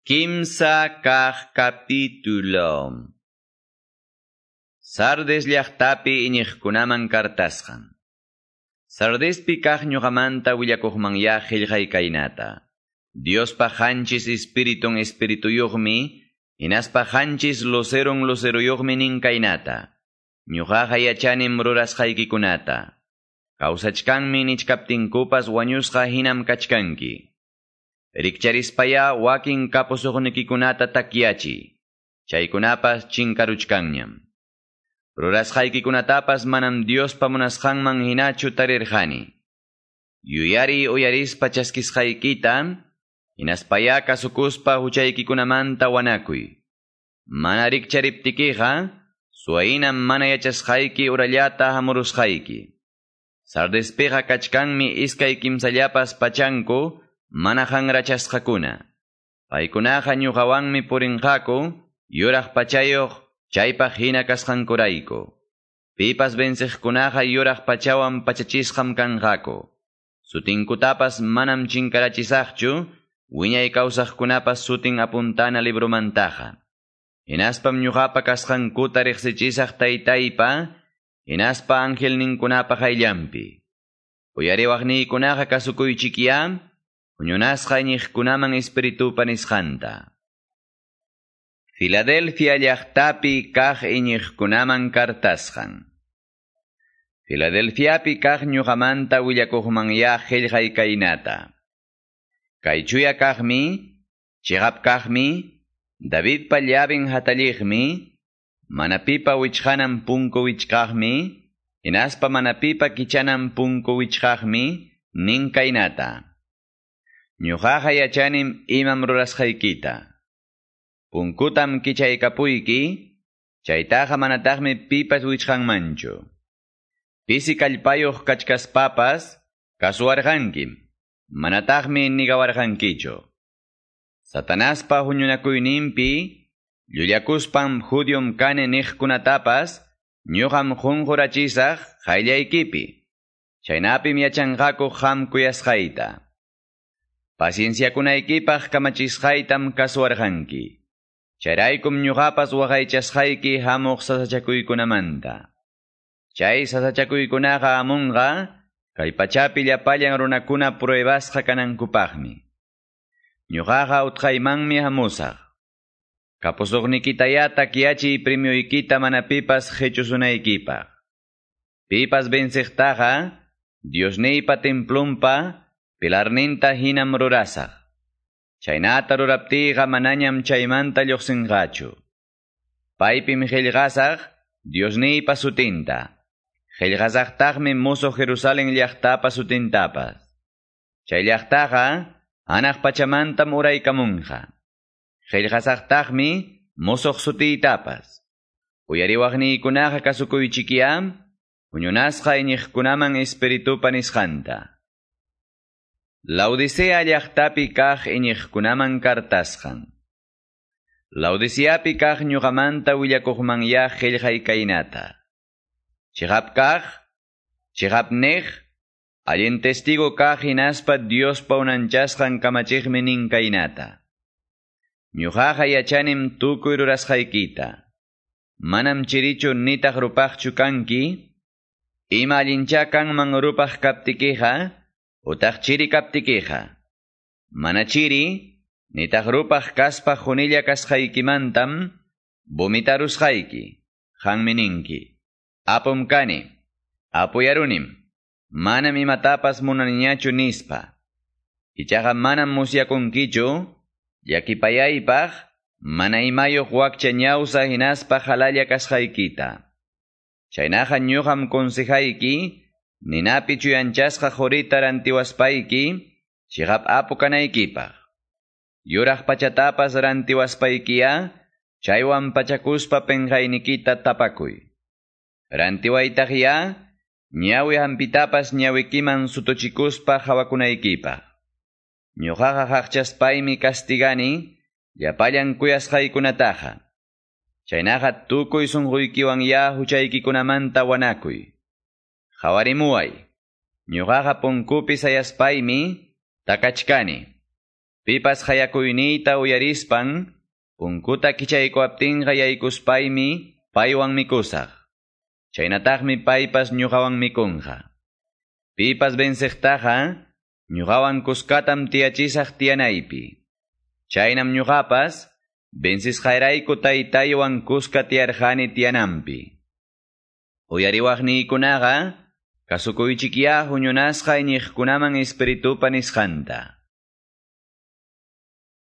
Kimsa kaq capítulo. Sardes llaqtapi iñiqkunaman kartasqan. Sardespi kaq ñuqamanta willakuqmanyá qillqay kaynata. Diospa qanchis espiritun espirituyuqmi, hinaspa qanchis lucerun luceruyuqmi nin kaynata. Ñuqaqa yachanim rurasqaykikunata. Kawsachkanmi nichkaptinkupas wañusqa hinam kachkanki. Rikcharispaya wakin kapusuqnikikunata takyachi. Chaykunapas chinkaruchkanñam. Rurasqaykikunatapas manam Diospa munasqanman hinachu tarirqani. Yuyari uyarispa chaskisqaykita, hinaspaya kasukuspa huchaykikunamanta wanakuy. Mana rikchariptikiqa, suwaynam mana yachasqayki urallata hamurusqayki. Sardespiqa kachkanmi iskay kimsallapas pachanku, mana hanrachasqakuna. Paykunaqa ñuqawanmi purinqaku, yuraq pachayuq, chaypaq hina kasqankurayku. Pipas venciqkunaqa yuraq pachawan pachachisqam kanqaku. Sutinkutapas manam chinkarachisaqchu, wiñay kawsaqkunapas sutin apuntana libromantaqa. Hinaspam ñuqapa kasqankuta riqsichisaq taytaypa, hinaspa angelninkunapa qayllanpi. Uyariwaqniykunaqa kasukuychikyá, huñunasqa iñiqkunaman espiritupa nisqanta. Filadelfia llaqtapi kaq iñiqkunaman kartasqan. Filadelfiapi kaq ñuqamanta willakuqmanyá qillqay kaynata. Kay chuya kaqmi, chiqap kaqmi, Davidpa llavin hatalliqmi, mana pipa wichqanan punku wichqaqmi, hinaspa mana pipa kichanan punku wichqaqmi, nin kaynata. Ñuqaqa yachanim imam rurasqaykita. Punkutam kichaykapuyki, chaytaqa manataqmi pipas wichqanmanchu. Pisi kallpayuq kachkaspapas kasuwarqankim, manataqmi nigawarqankichu. Satanaspa huñunakuyninpi, llullakuspam judiom kani niqkunatapas, ñuqam qunqurachisaq qayllaykipi. Chaynapim yachanqaku qam kuyasqayta. Pacienciakunaykipaq kamachisqaytam kasuwarqanki. Chayraykum ñuqapas waqaychasqayki hamuq sasachakuykunamanta. Chay sasachakuykunaqa hamunqa, kay pachapi llapallan runakuna pruebasqa kanankupaqmi. Ñuqaqa utqaymanmi hamusaq. Kapusuqnikitaya takyachiy premioykita mana pipas qichusunaykipaq. Pipas venciqtaqa, Diosniypa templunpa pilarninta hinam rurasaq. Chaynata ruraptiyqa manañam chaymanta lluqsinqachu. Paypim qillqasaq Diosniypa sutinta. Qillqasaqtaqmi musuq Jerusalén llaqtapa sutintapas. Chay llaqtaqa hanaq pachamantam uraykamunqa. Qillqasaqtaqmi musuq sutiytapas. Uyariwaqniykunaqa kasukuychikyá, huñunasqa iñiqkunaman espiritupa nisqanta. Laodicea llaqtapi kaq iñiqkunaman kartasqan. Laodiceapi kaq ñuqamanta willakuqmanyá qillqay kaynata. Chiqap kaq, chiqap niq, allin testigo kaq hinaspa Diospa unanchasqan kamachiqmi nin kaynata. Ñuqaqa yachanim tukuy rurasqaykita. Manam chirichu nitaq rupaqchu kanki, ima allinchá kanman rupaq kaptikiqa, utaq chiri kaptikiqa. Mana chiri, nitaq rupaq kaspa qunilla kasqaykimantam, vomitarusqayki, qanmi ninki. Apum kani, apuyarunim, manam imatapas munaniñachu nispa. Ichaqa manam musyakunkichu, llakipayaypaq, mana imayuq wakcha ñawsa hinaspa halalla kasqaykita. Chaynaqa ñuqam consejayki, ninapi chuyanchasqa qurita rantiwaspayki, chiqap apu kanaykipaq. Yuraq pachatapas rantiwaspaykiya, chaywan pachakuspa penqaynikita tapakuy. Rantiwaytaqya, ñawi hampitapas ñawikiman sutuchikuspa hawakunaykipaq. Ñuqaqa haqchaspaymi kastigani, llapallan kuyasqaykunataqa. Chaynaqa tukuy sunquykiwan ya huchaykikunamanta wanakuy. Qhawarimuway, ñuqaqa punkupi sayaspaymi takachkani. Pipas qayakuyniyta uyarispan, punkuta kichaykuwaptinqa yaykuspaymi paywan mikusaq. Chaynataqmi paypas ñuqawan mikunqa. Pipas venceqtaqa, ñuqawan kuskatam tiyachisaq tiyanaypi. Chaynam ñuqapas, vencisqayrayku taytaywan kuska tiyarqani tiyananpi. Uyariwaqniykunaqa, kasukuychikyá huñunasqa iñiqkunaman Espiritupa nisqanta.